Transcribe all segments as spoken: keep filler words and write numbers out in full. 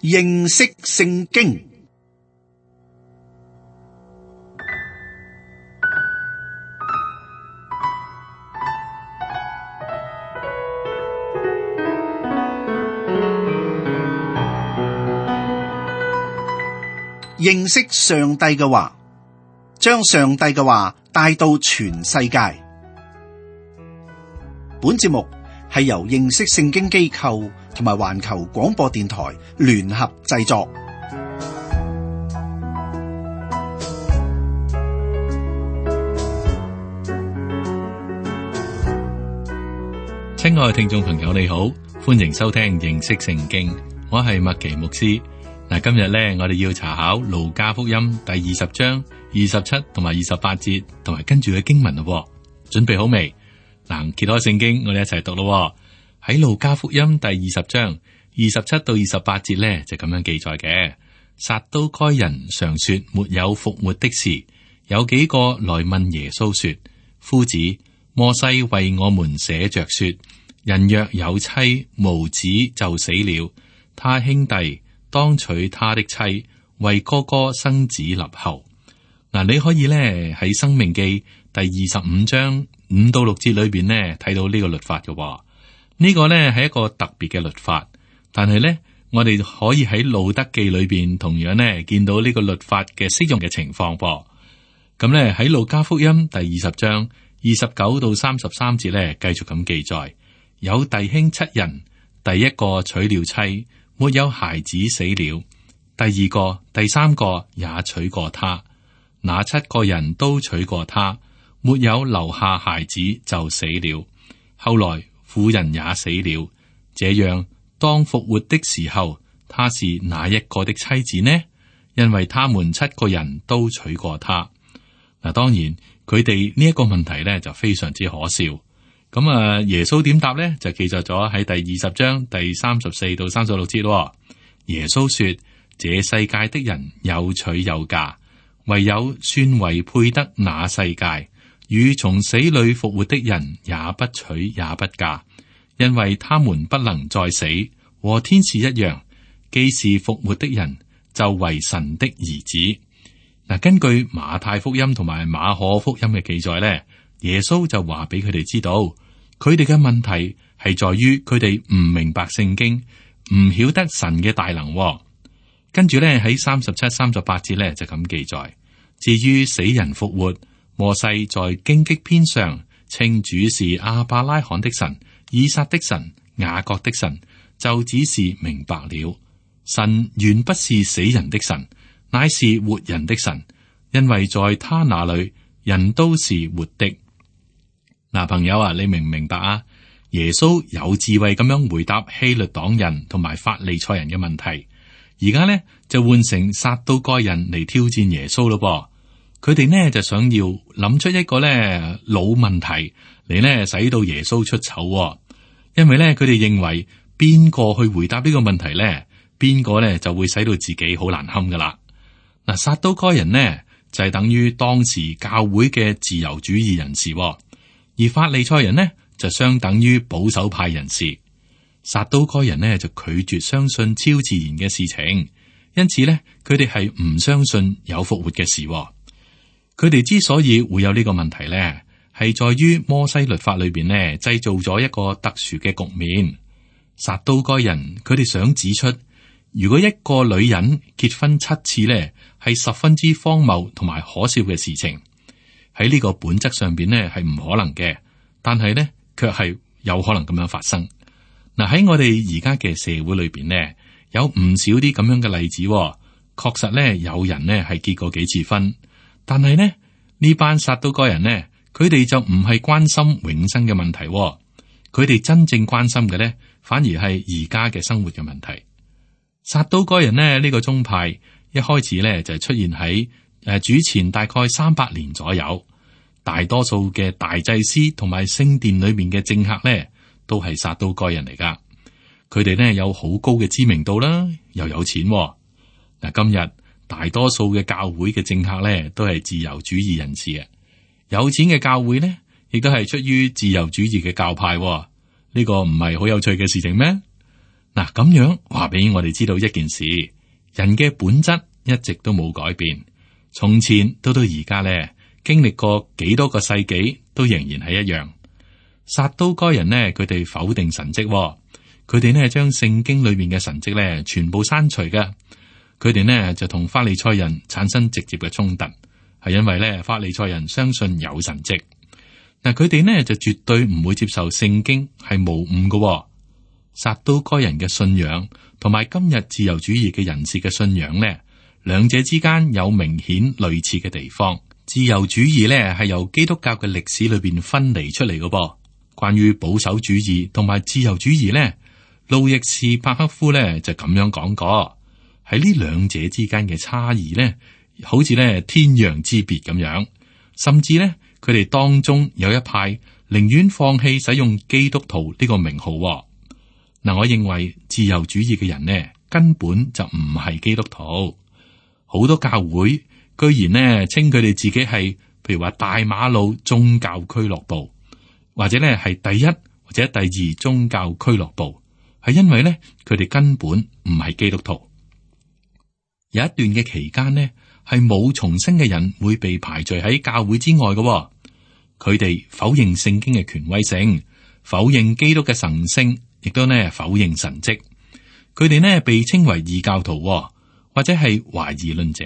認識聖經。認識上帝嘅話，將上帝嘅話帶到全世界。本節目係由認識聖經機構同埋環球廣播電台聯合製作。親愛聽眾朋友，你好，歡迎收聽認識聖經，我係麥奇牧師。嗱，今日咧，我哋要查考路加福音第二十章二十七同埋二十八節，同埋跟住嘅經文咯。準備好未？嗱，揭開聖經，我哋一齊讀咯。喺路加福音第二十章二十七到二十八節咧，就咁樣記載嘅。撒都該人常說沒有復活的事，有幾個來問耶穌說：夫子，摩西為我們寫着說，人若有妻無子就死了，他兄弟當娶他的妻，為哥哥生子立後。嗱，你可以咧喺申命記第二十五章五到六節裏邊呢睇到呢個律法嘅話，呢、呢個呢係一個特別嘅律法。但係呢，我哋可以喺路德記裏邊同樣呢見到呢個律法嘅適用嘅情況噃。咁呢，喺路加福音第二十章二十九到三十三節呢，繼續咁記載，有弟兄七人，第一個娶了妻，沒有孩子死了，第二個、第三個也娶過他，那七個人都娶過他，沒有留下孩子就死了。後來婦人也死了，這樣當復活的時候，他是哪一個的妻子呢？因為他們七個人都娶過他。嗱，當然佢哋呢一個問題咧就非常之可笑。咁啊，耶穌點答呢？就記載咗喺第二十章第三十四到三十六節咯。耶穌說：這世界的人有娶有嫁，唯有算為配得那世界與從死裏復活的人，也不娶也不嫁，因為他們不能再死，和天使一樣，既是復活的人，就為神的兒子。嗱，根據馬太福音同埋馬可福音嘅記載呢，耶穌就話俾佢哋知道，佢哋嘅問題係在於佢哋唔明白聖經，唔曉得神嘅大能。跟住咧喺三十七、三十八節咧就咁記載。至於死人復活，摩西在荊棘篇上稱主是亞伯拉罕的神、以撒的神、雅各的神，就只是明白了，神原不是死人的神，乃是活人的神，因為在他那裏人都是活的。嗱，朋友啊，你明唔明白啊？耶穌有智慧咁樣回答希律黨人同埋法利賽人嘅問題，而家呢就換成撒都該人嚟挑戰耶穌咯噃。佢哋呢就想要諗出一個呢老問題嚟呢使到耶穌出醜，因為呢佢哋認為邊個去回答呢個問題呢，邊個呢就會使到自己好難堪噶啦。嗱，撒都該人呢就係等於當時教會嘅自由主義人士。而法利賽人呢，就相等於保守派人士。撒都該人呢，就拒絕相信超自然嘅事情，因此呢，佢哋係唔相信有復活嘅事。佢哋之所以會有呢個問題呢，係在於摩西律法裏邊呢，製造咗一個特殊嘅局面。撒都該人佢哋想指出，如果一個女人結婚七次呢，係十分之荒謬同埋可笑嘅事情。喺呢個本質上邊呢係唔可能嘅，但係呢卻係有可能咁樣發生。嗱，喺我哋而家嘅社會裏邊呢，有唔少啲咁樣嘅例子。確實呢，有人呢係結過幾次婚，但係呢呢班撒都該人呢，佢哋就唔係關心永生嘅問題，佢哋真正關心嘅呢，反而係而家嘅生活嘅問題。撒都該人呢，呢個宗派一開始呢就係出現喺誒主前大概三百年左右。大多數嘅大祭司同埋聖殿裏面嘅政客咧，都係撒都該人嚟噶。佢哋咧有好高嘅知名度啦，又有錢。嗱，今日大多數嘅教會嘅政客咧，都係自由主義人士啊。有錢嘅教會咧，亦都係出於自由主義嘅教派。呢個唔係好有趣嘅事情咩？嗱，咁樣話俾我哋知道一件事，人嘅本質一直都冇改變，從前到到而家咧，經歷過幾多個世紀，都仍然係一樣。撒都該人呢，佢哋否定神蹟，佢哋呢將聖經裏面嘅神蹟咧全部刪除嘅。佢哋呢就同法利賽人產生直接嘅衝突，係因為咧法利賽人相信有神蹟，嗱佢哋呢就絕對唔會接受聖經係無誤嘅。撒都該人嘅信仰同埋今日自由主義嘅人士嘅信仰呢，兩者之間有明顯類似嘅地方。自由主義呢係由基督教嘅歷史裏邊分離出嚟嘅噃。關於保守主義同埋自由主義呢，路易士帕克夫呢就咁樣講過，喺呢兩者之間嘅差異呢，好似呢天壤之別咁樣，甚至呢，佢哋當中有一派寧願放棄使用基督徒呢個名號。嗱，我認為自由主義嘅人呢，根本就唔係基督徒。好多教會居然呢稱佢哋自己係，譬如話大馬路宗教俱樂部。或者咧係第一或者第二宗教俱樂部，係因為咧佢哋根本唔係基督徒。有一段嘅期間呢，係冇重生嘅人會被排除喺教會之外嘅。佢哋否認聖經嘅權威性，否認基督嘅神聖，亦都呢否認神蹟。佢哋呢被稱為異教徒，或者係懷疑論者。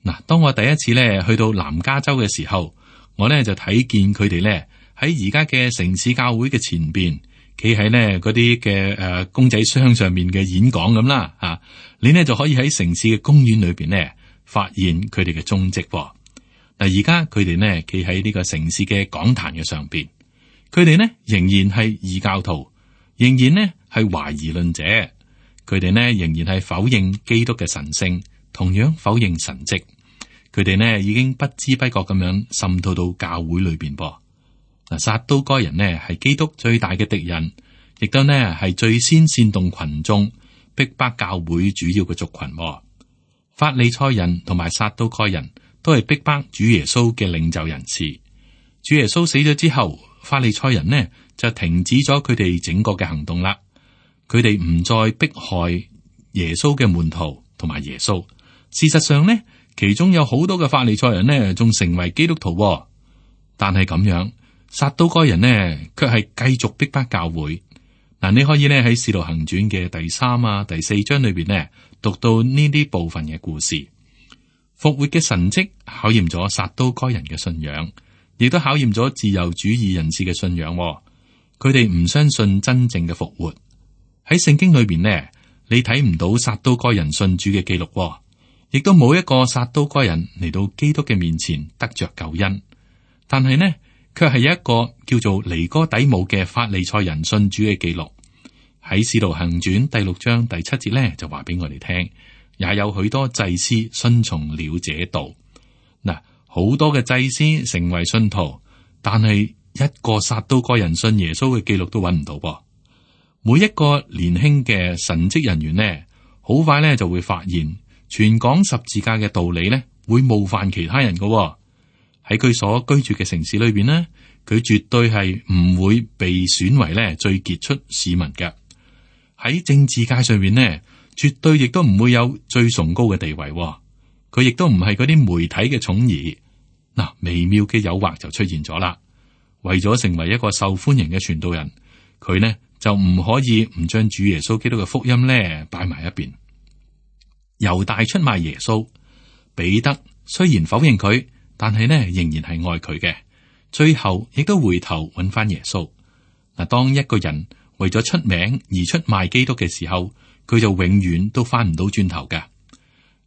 嗱，當我第一次咧去到南加州嘅時候，我咧就睇見佢哋咧。喺而家嘅城市教會嘅前邊，企喺呢嗰啲嘅誒公仔箱上面嘅演講咁啦，吓、啊、你呢就可以喺城市嘅公園裏邊呢發現佢哋嘅蹤跡。嗱，而家佢哋呢企喺呢個城市嘅講壇嘅上邊，佢哋呢仍然係異教徒，仍然呢係懷疑論者，佢哋呢仍然係否認基督嘅神聖，同樣否認神蹟。佢哋呢已經不知不覺咁樣滲透到教會裏邊噃。嗱，撒都該人呢係基督最大嘅敵人，亦都呢係最先煽動群眾逼迫教會主要嘅族群。法利賽人同埋撒都該人都係逼迫主耶穌嘅領袖人士。主耶穌死咗之後，法利賽人呢就停止咗佢哋整個嘅行動啦。佢哋唔再迫害耶穌嘅門徒同埋耶穌。事實上呢，其中有好多嘅法利賽人呢仲成為基督徒，但係咁樣。撒都該人呢，卻係繼續逼迫教會。嗱，你可以呢喺《使徒行傳》嘅第三啊、第四章裏邊呢，讀到呢啲部分嘅故事。復活嘅神蹟考驗咗撒都該人嘅信仰，亦都考驗咗自由主義人士嘅信仰。佢哋唔相信真正嘅復活。喺聖經裏邊呢，你睇唔到撒都該人信主嘅記錄，亦都冇一個撒都該人嚟到基督嘅面前得着救恩。但係呢，卻係有一個叫做尼哥底母嘅法利賽人信主嘅記錄。喺《使徒行傳》第六章第七節咧，就話俾我哋聽，也有許多祭司順從了這道。嗱，好多嘅祭司成為信徒，但係一個撒都該人信耶穌嘅記錄都揾唔到噃。每一個年輕嘅神職人員呢，好快咧就會發現，傳講十字架嘅道理咧，會冒犯其他人噶。喺佢所居住嘅城市裏邊呢，佢絕對係唔會被選為咧最傑出市民嘅。喺政治界上邊呢，絕對亦都唔會有最崇高嘅地位。佢亦都唔係嗰啲媒體嘅寵兒。嗱，微妙嘅誘惑就出現咗啦。為咗成為一個受歡迎嘅傳道人，佢呢就唔可以唔將主耶穌基督嘅福音呢擺埋一邊。猶大出賣耶穌，彼得雖然否認佢。但係呢，仍然係愛佢嘅，最後亦都回頭揾翻耶穌。嗱，當一個人為咗出名而出賣基督嘅時候，佢就永遠都翻唔到轉頭嘅。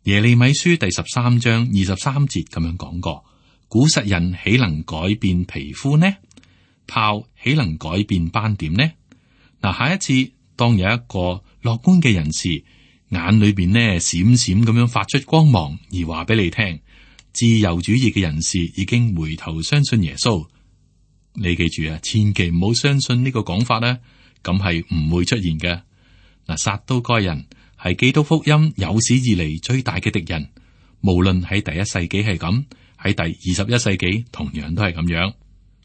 耶利米書第十三章二十三節咁樣講過：古實人豈能改變皮膚呢？豹豈能改變斑點呢？嗱，下一次當有一個樂觀嘅人士眼裏邊呢閃閃咁樣發出光芒，而話俾你聽。自由主義嘅人士已經回頭相信耶穌，你記住啊，千祈唔好相信呢個講法啦，咁係唔會出現嘅。嗱，撒都該人係基督福音有史以嚟最大嘅敵人，無論喺第一世紀係咁，喺第二十一世紀同樣都係咁樣。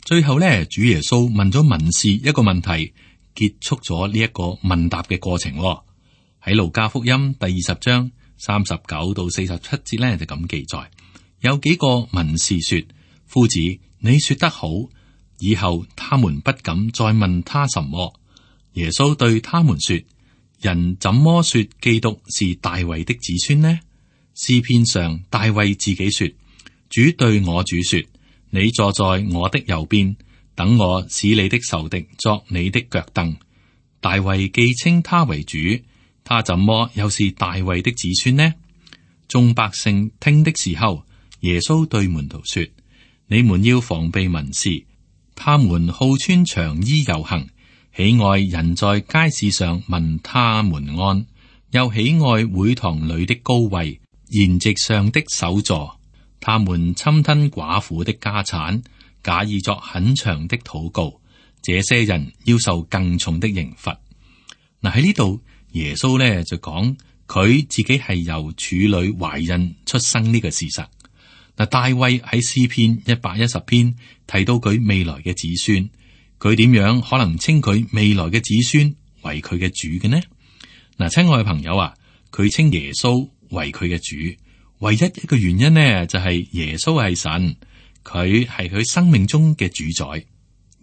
最後咧，主耶穌問咗文士一個問題，結束咗呢一個問答嘅過程。喺路加福音第二十章三十九到四十七節呢，就咁記載，有幾個文士說：夫子，你說得好，以後他們不敢再問他什麼。耶穌對他們說：人怎麼說基督是大衛的子孫呢？詩篇上大衛自己說：主對我主說，你坐在我的右邊，等我使你的仇敵作你的腳凳。大衛既稱他為主，他怎麼又是大衛的子孫呢？眾百姓聽的時候，耶穌對門徒說：你們要防備文士，他們好穿長衣遊行，喜愛人在街市上問他們安，又喜愛會堂裏的高位、筵席上的首座。他們侵吞寡婦的家產，假意作很長的禱告。這些人要受更重的刑罰。嗱，喺呢度，耶穌咧就講佢自己係由處女懷孕出生呢個事實。嗱，大衛喺詩篇一百一十篇提到佢未來嘅子孫。佢點樣可能稱佢未來嘅子孫為佢嘅主嘅呢？嗱，親愛嘅朋友啊，佢稱耶穌為佢嘅主，唯一一個原因呢，就係耶穌係神，佢係佢生命中嘅主宰。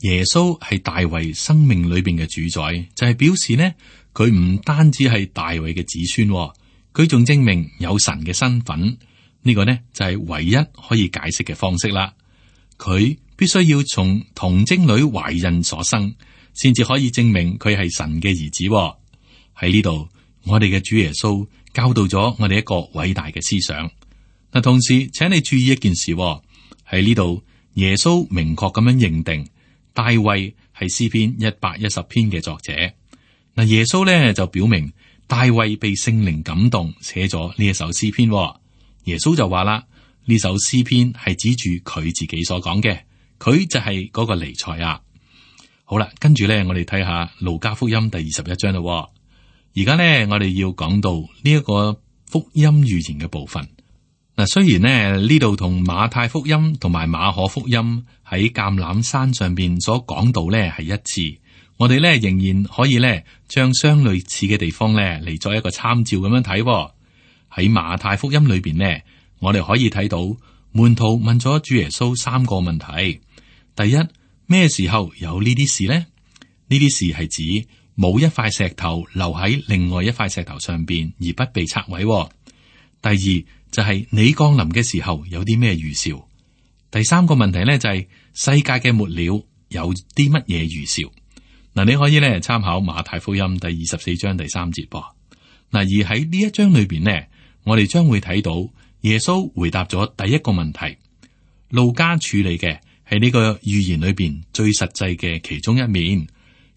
耶穌係大衛生命裏邊嘅主宰，就係表示呢，佢唔單止係大衛嘅子孫，佢仲證明有神嘅身份。呢個呢就係唯一可以解釋嘅方式啦。佢必須要從童貞女懷孕所生，先至可以證明佢係神嘅兒子。喺呢度，我哋嘅主耶穌教導咗我哋一個偉大嘅思想。嗱，同時請你注意一件事，喺呢度耶穌明確咁樣認定大衛係詩篇一百一十篇嘅作者。嗱，耶穌咧就表明大衛被聖靈感動寫咗呢一首詩篇。耶穌就話啦，呢首詩篇係指住佢自己所講嘅，佢就係嗰個彌賽亞。好啦，跟住咧，我哋睇下路加福音第二十一章啦。而家咧，我哋要講到呢一個福音預言嘅部分。嗱，雖然呢呢度同馬太福音同埋馬可福音喺橄欖山上邊所講到咧係一致，我哋咧仍然可以咧將相類似嘅地方咧嚟作一個參照咁樣睇。喺馬太福音裏邊呢，我哋可以睇到門徒問咗主耶穌三個問題。第一，咩時候有呢啲事呢？呢啲事係指冇一塊石頭留喺另外一塊石頭上邊而不被拆毀。第二就係、是、你降臨嘅時候有啲咩預兆？第三個問題呢，就係、是、世界嘅末了有啲乜嘢預兆？嗱，你可以咧參考馬太福音第二十四章第三節噃。嗱，而喺呢一章裏邊呢，我哋將會睇到耶穌回答咗第一個問題。路加處理嘅係呢個預言裏邊最實際嘅其中一面，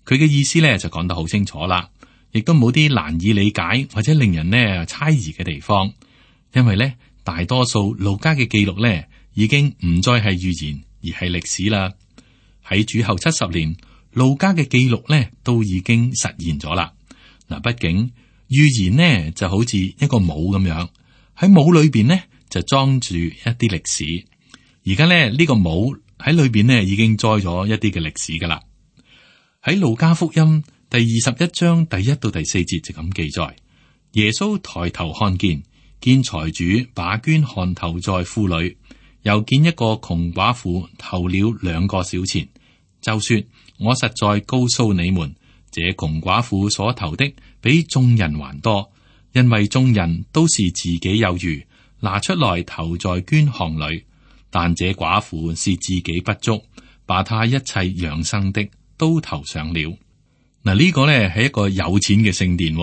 佢嘅意思咧就講得好清楚啦，亦都冇啲難以理解或者令人呢猜疑嘅地方。因為咧大多數路加嘅記錄咧已經唔再係預言而係歷史啦。喺主後七十年，路加嘅記錄咧都已經實現咗啦。嗱，畢竟預言呢就好似一個帽咁樣，喺帽裏邊呢就裝住一啲歷史。而家咧呢、這個帽喺裏邊呢已經載咗一啲嘅歷史噶啦。喺路加福音第二十一章第一到第四節就咁記載：耶穌抬頭看見，見財主把捐項投在庫裏，又見一個窮寡婦投了兩個小錢，就說：我實在告訴你們，這窮寡婦所投的比眾人還多，因為眾人都是自己有餘，拿出來投在捐項裏，但這寡婦是自己不足，把她一切養生的都投上了。嗱，呢個呢係一個有錢嘅聖殿，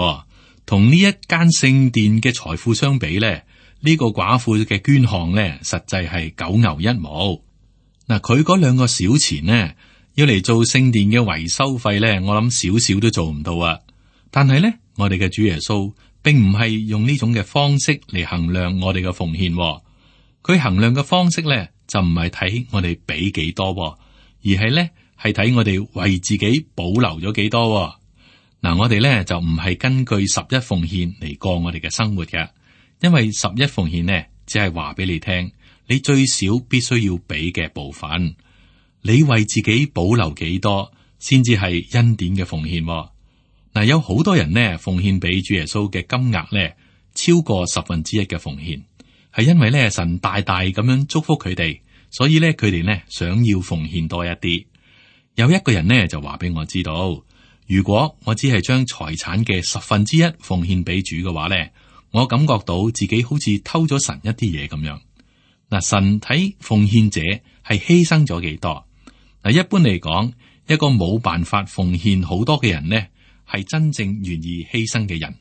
同呢一間聖殿嘅財富相比咧，呢個寡婦嘅捐項咧，實際係九牛一毛。嗱，佢嗰兩個小錢呢，要嚟做聖殿嘅維修費咧，我諗少少都做唔到啊。但係咧，我哋嘅主耶穌並唔係用呢種嘅方式嚟衡量我哋嘅奉獻，佢衡量嘅方式咧就唔係睇我哋俾幾多，而係咧係睇我哋為自己保留咗幾多。嗱，我哋咧就唔係根據十一奉獻嚟過我哋嘅生活嘅，因為十一奉獻呢，只係話俾你聽，你最少必須要俾嘅部分。你為自己保留幾多，先至係恩典嘅奉獻。嗱，有好多人呢奉獻俾主耶穌嘅金額呢超過十分之一嘅奉獻，係因為呢神大大咁樣祝福佢哋，所以呢佢哋呢想要奉獻多一啲。有一個人呢就話俾我知道，如果我只係將財產嘅十分之一奉獻俾主嘅話呢，我感覺到自己好似偷咗神一啲嘢咁樣。嗱，神睇奉獻者係犧牲咗幾多？嗱，一般嚟講，一個冇辦法奉獻好多嘅人呢，係真正願意犧牲嘅人。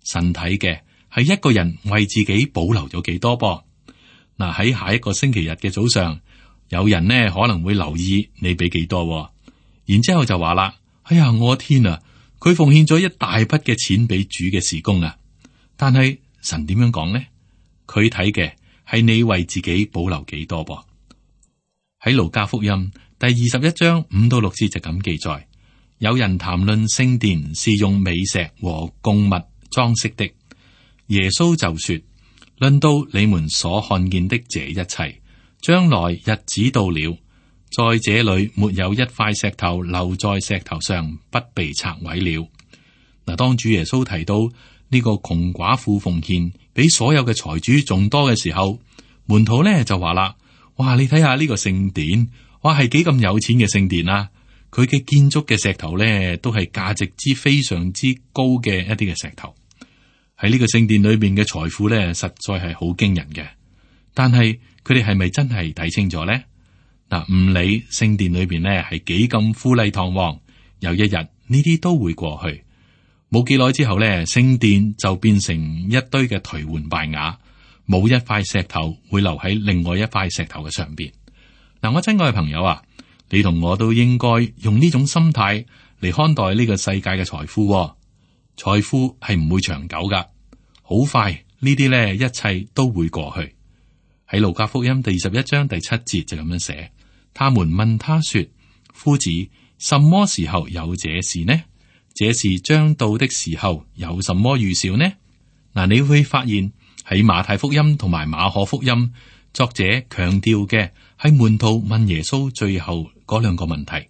神睇嘅係一個人為自己保留咗幾多噃。嗱，喺下一個星期日嘅早上，有人呢可能會留意你俾幾多，然之後就話啦：哎呀，我天啊！佢奉獻咗一大筆嘅錢俾主嘅事工啊！但係神點樣講呢？佢睇嘅係你為自己保留幾多噃。喺路加福音第二十一章五到六節就咁記載：有人談論聖殿是用美石和供物裝飾的，耶穌就說：論到你們所看見的這一切，將來日子到了，在這裏沒有一塊石頭留在石頭上不被拆毀了。嗱，當主耶穌提到呢個窮寡婦奉獻比所有嘅財主仲多嘅時候，門徒咧就話啦：哇，你睇下呢個聖殿，哇係幾咁有錢嘅聖殿啊！佢嘅建築嘅石頭咧都係價值之非常之高嘅一啲嘅石頭。喺呢個聖殿裏邊嘅財富咧，實在係好驚人嘅。但係佢哋係咪真係睇清楚咧？嗱，唔理聖殿裏邊咧係幾咁富麗堂皇，有一日呢啲都會過去。冇幾耐之後咧，聖殿就變成一堆嘅頹垣敗瓦，冇一塊石頭會留喺另外一塊石頭嘅上邊。嗱，我親愛嘅朋友啊，你同我都應該用呢種心態嚟看待呢個世界嘅財富。財富係唔會長久噶，好快呢啲咧一切都會過去。喺路加福音第二十一章第七節就咁樣寫：他們問他說，夫子，什麼時候有這事呢？這事將到的時候有什麼預兆呢？嗱，你會發現喺馬太福音同埋馬可福音，作者強調嘅係門徒問耶穌最後嗰兩個問題：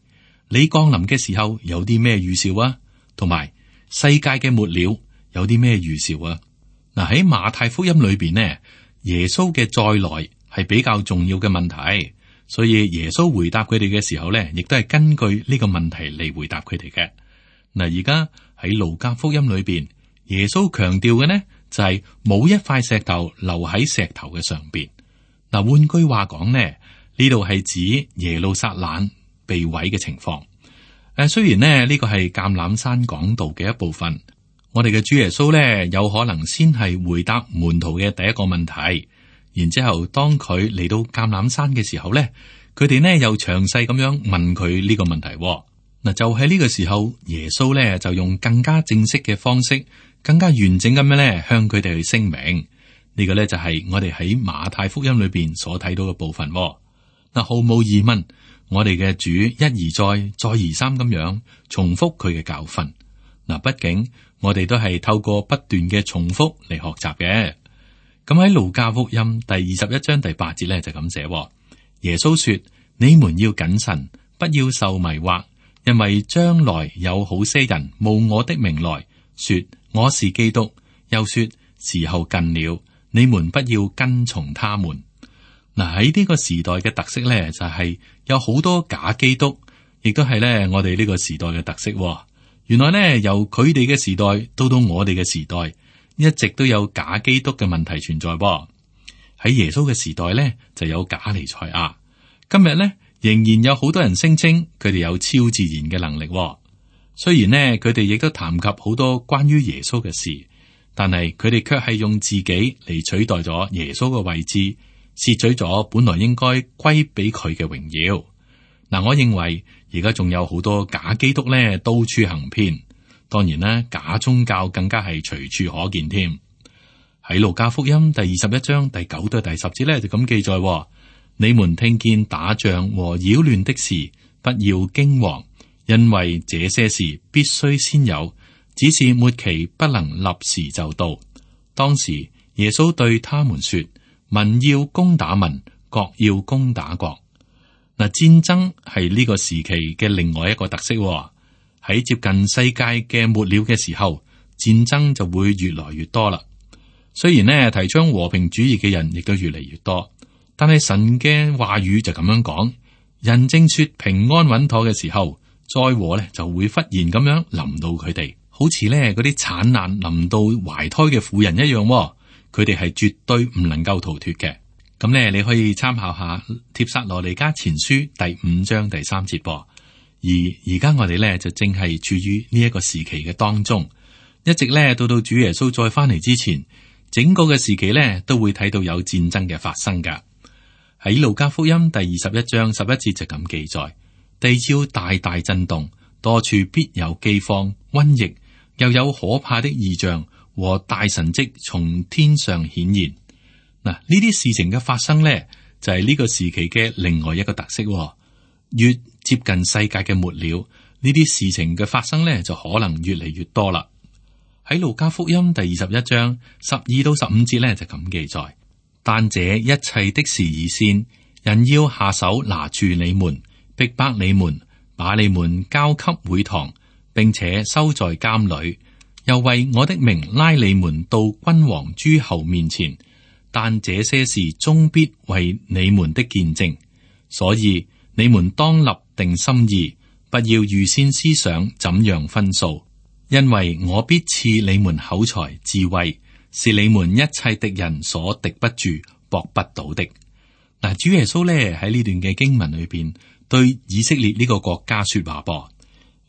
你降臨嘅時候有啲咩預兆啊？同埋世界嘅末了有啲咩預兆啊？嗱，喺馬太福音裏邊呢，耶穌嘅再來係比較重要嘅問題，所以耶穌回答佢哋嘅時候呢，亦都係根據呢個問題嚟回答佢哋嘅。嗱，而家喺路加福音裏邊，耶穌強調嘅呢就係冇一塊石頭留喺石頭嘅上邊。嗱，換句話講呢，呢度係指耶路撒冷被毀嘅情況。誒，雖然呢呢個係橄欖山講道嘅一部分，我哋嘅主耶穌呢有可能先係回答門徒嘅第一個問題，然之後當佢嚟到橄欖山嘅時候呢，佢哋呢又詳細咁樣問佢呢個問題。嗱，就喺呢個時候，耶穌咧就用更加正式嘅方式，更加完整咁樣咧向佢哋去聲明。呢個咧就係我哋喺馬太福音裏邊所睇到嘅部分。嗱，毫無疑問，我哋嘅主一而再，再而三咁樣重複佢嘅教訓。嗱，畢竟我哋都係透過不斷嘅重複嚟學習嘅。咁喺路加福音第二十一章第八節咧就咁寫：耶穌說：你們要謹慎，不要受迷惑。因為將來有好些人冒我的名來說我是基督，又說時候近了，你們不要跟從他們。嗱，喺呢個時代嘅特色咧，就係有好多假基督，亦都係咧我哋呢個時代嘅特色。原來咧由佢哋嘅時代到到我哋嘅時代，一直都有假基督嘅問題存在。喺耶穌嘅時代咧就有假彌賽亞，今日咧仍然有好多人聲稱佢哋有超自然嘅能力。雖然呢，佢哋亦都談及好多關於耶穌嘅事，但係佢哋卻係用自己嚟取代咗耶穌嘅位置，竊取咗本來應該歸俾佢嘅榮耀。嗱，我認為而家仲有好多假基督咧，到處行騙。當然啦，假宗教更加係隨處可見添。喺路加福音第二十一章第九到第十節咧，就咁記載。你們聽見打仗和擾亂的事，不要驚惶，因為這些事必須先有，只是末期不能立時就到。當時耶穌對他們說：民要攻打民，國要攻打國。嗱，戰爭係呢個時期嘅另外一個特色喎。喺接近世界嘅末了嘅時候，戰爭就會越來越多啦。雖然呢，提倡和平主義嘅人亦都越嚟越多，但係神嘅話語就咁樣講：人正說平安穩妥嘅時候，災禍呢就會忽然咁樣臨到佢哋，好似呢嗰啲產難臨到懷胎嘅婦人一樣喎。佢哋係絕對唔能夠逃脫嘅。咁呢，你可以參考下帖撒羅尼迦前書第五章第三節噃。而而家我哋呢，就正係處於呢一個時期嘅當中，一直呢，到到主耶穌再翻嚟之前，整個嘅時期呢，都會睇到有戰爭嘅發生噶。喺路加福音第二十一章十一節就咁記載：地要大大震動，多處必有饑荒、瘟疫，又有可怕的異象和大神蹟從天上顯現。嗱，呢啲事情嘅發生呢，就係呢個時期嘅另外一個特色。越接近世界嘅末了，呢啲事情嘅發生呢，就可能越嚟越多啦。喺路加福音第二十一章十二到十五節呢，就咁記載：但這一切的事已先，人要下手拿住你們，逼迫你們，把你們交給會堂，並且收在監裏，又為我的名拉你們到君王諸侯面前。但這些事終必為你們的見證，所以你們當立定心意，不要預先思想怎樣分數，因為我必賜你們口才智慧，是你們一切敵人所敵不住、駁不倒的。嗱，主耶穌咧喺呢段嘅經文裏邊對以色列呢個國家說話噃，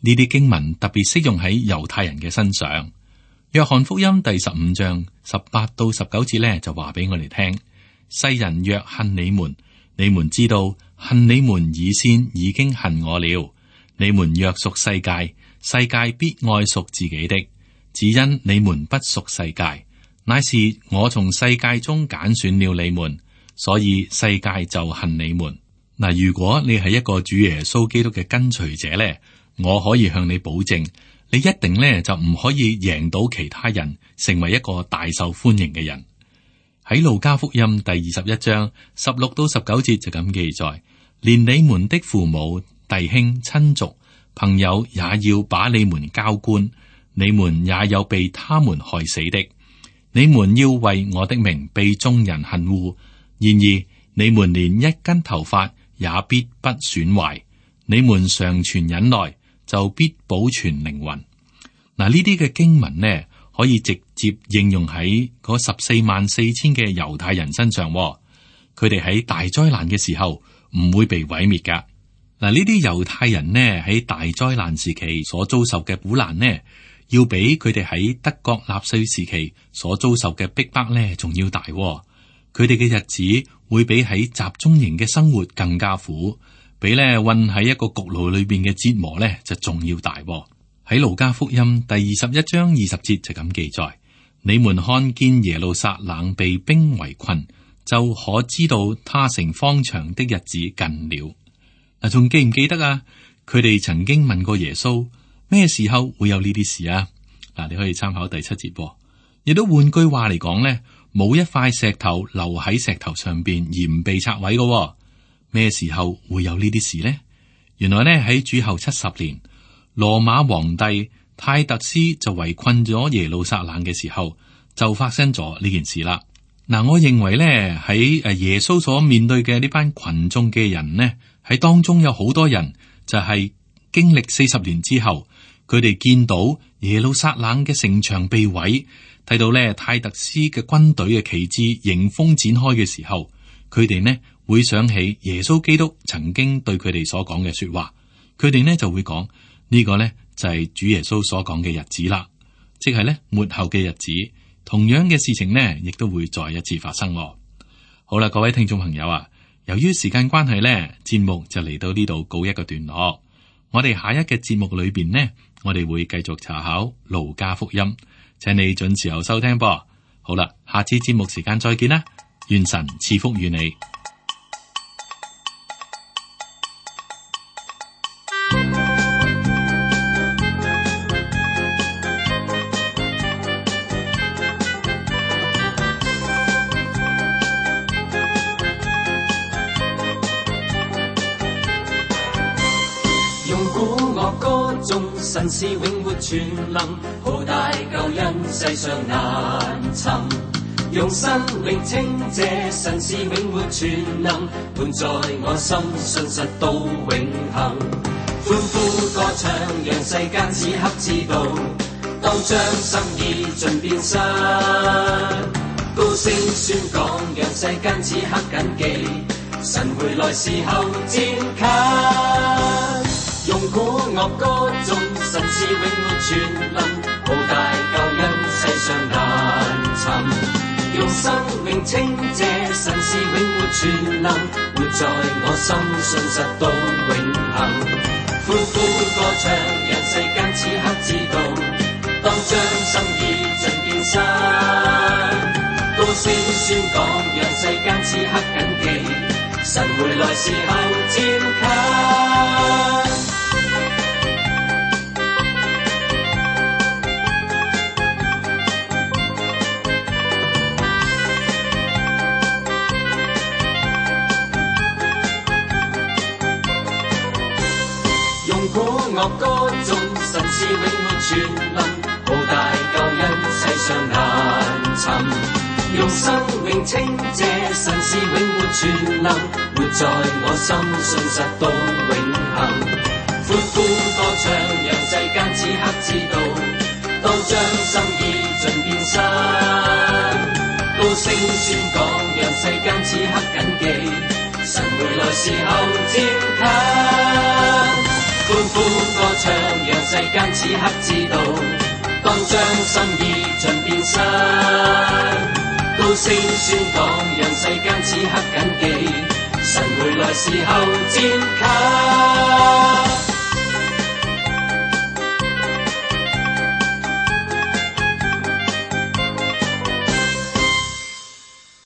呢啲經文特別適用喺猶太人嘅身上。約翰福音第十五章十八到十九節咧就話俾我哋聽：世人若恨你們，你們知道恨你們以先已經恨我了。你們若屬世界，世界必愛屬自己的。只因你們不屬世界，乃是我從世界中揀選了你們，所以世界就恨你們。嗱，如果你係一個主耶穌基督嘅跟隨者咧，我可以向你保證，你一定咧就唔可以贏到其他人，成為一個大受歡迎嘅人。喺路加福音第二十一章十六到十九節就咁記載：連你們的父母、弟兄、親族、朋友也要把你們交官，你們也有被他們害死的。你們要為我的名被眾人恨惡，然而你們連一根頭髮也必不損壞。你們常存忍耐，就必保存靈魂。嗱，呢啲嘅經文呢，可以直接應用喺嗰十四萬四千嘅猶太人身上。佢哋喺大災難嘅時候唔會被毀滅噶。嗱，呢啲猶太人呢喺大災難時期所遭受嘅苦難呢，要比佢哋喺德國納粹時期所遭受嘅逼迫呢仲要大。佢哋嘅日子會比喺集中營嘅生活更加苦。比咧困喺一個焗爐裏邊嘅折磨咧就仲要大。喺路加福音第二十一章二十節就咁記載：你們看見耶路撒冷被兵圍困，就可知道他成荒場的日子近了。嗱，仲記唔記得啊？佢哋曾經問過耶穌咩時候會有呢啲事啊？嗱，你可以參考第七節。亦都換句話嚟講咧，冇一塊石頭留喺石頭上邊而唔被拆毀嘅。咩時候會有呢啲事呢？原來呢，喺主後七十年，羅馬皇帝泰特斯就圍困咗耶路撒冷嘅時候，就發生咗呢件事啦。嗱，我認為呢，喺誒耶穌所面對嘅呢班群眾嘅人呢，喺當中有好多人就係經歷四十年之後，佢哋見到耶路撒冷嘅城牆被毀，睇到呢泰特斯嘅軍隊嘅旗幟迎風展開嘅時候，佢哋呢會想起耶穌基督曾經對佢哋所講嘅說話，佢哋呢就會講呢個呢就係主耶穌所講嘅日子啦，即係呢末後嘅日子，同樣嘅事情呢亦都會再一次發生。好啦，各位聽眾朋友啊，由於時間關係呢，節目就嚟到呢度告一個段落。我哋下一嘅節目裏邊呢，我哋會繼續查考路加福音，請你準時候收聽噃。好啦，下次節目時間再見啦，願神賜福與你。樂歌中，神是永活全能，浩大救恩世上難尋。用生命稱謝，神是永活全能，伴在我心，信實到永恆。歡呼歌唱，讓世間此刻知道，當將心意盡變身。高聲宣講，讓世間此刻謹記，神回來時候漸近。用鼓樂歌中，神是永活全能，浩大救恩世上難尋。用生命稱謝，神是永活全能，活在我心，信實到永恆。歡呼歌唱，讓世間此刻知道，當將心意盡變身。高聲宣講，讓世間此刻謹記，神回來時候漸近。鼓樂歌中，神是永活全能，浩大救恩世上難尋。用生命稱謝，神是永活全能，活在我心，信實到永恆。歡呼歌唱，讓世間此刻知道，當將心意盡變身。高聲宣講，讓世間此刻謹記，神回來時候漸近。歡呼歌唱，讓世間此刻知道，當將心意盡變身。高聲宣講，讓世間此刻謹記，神回來時候漸近。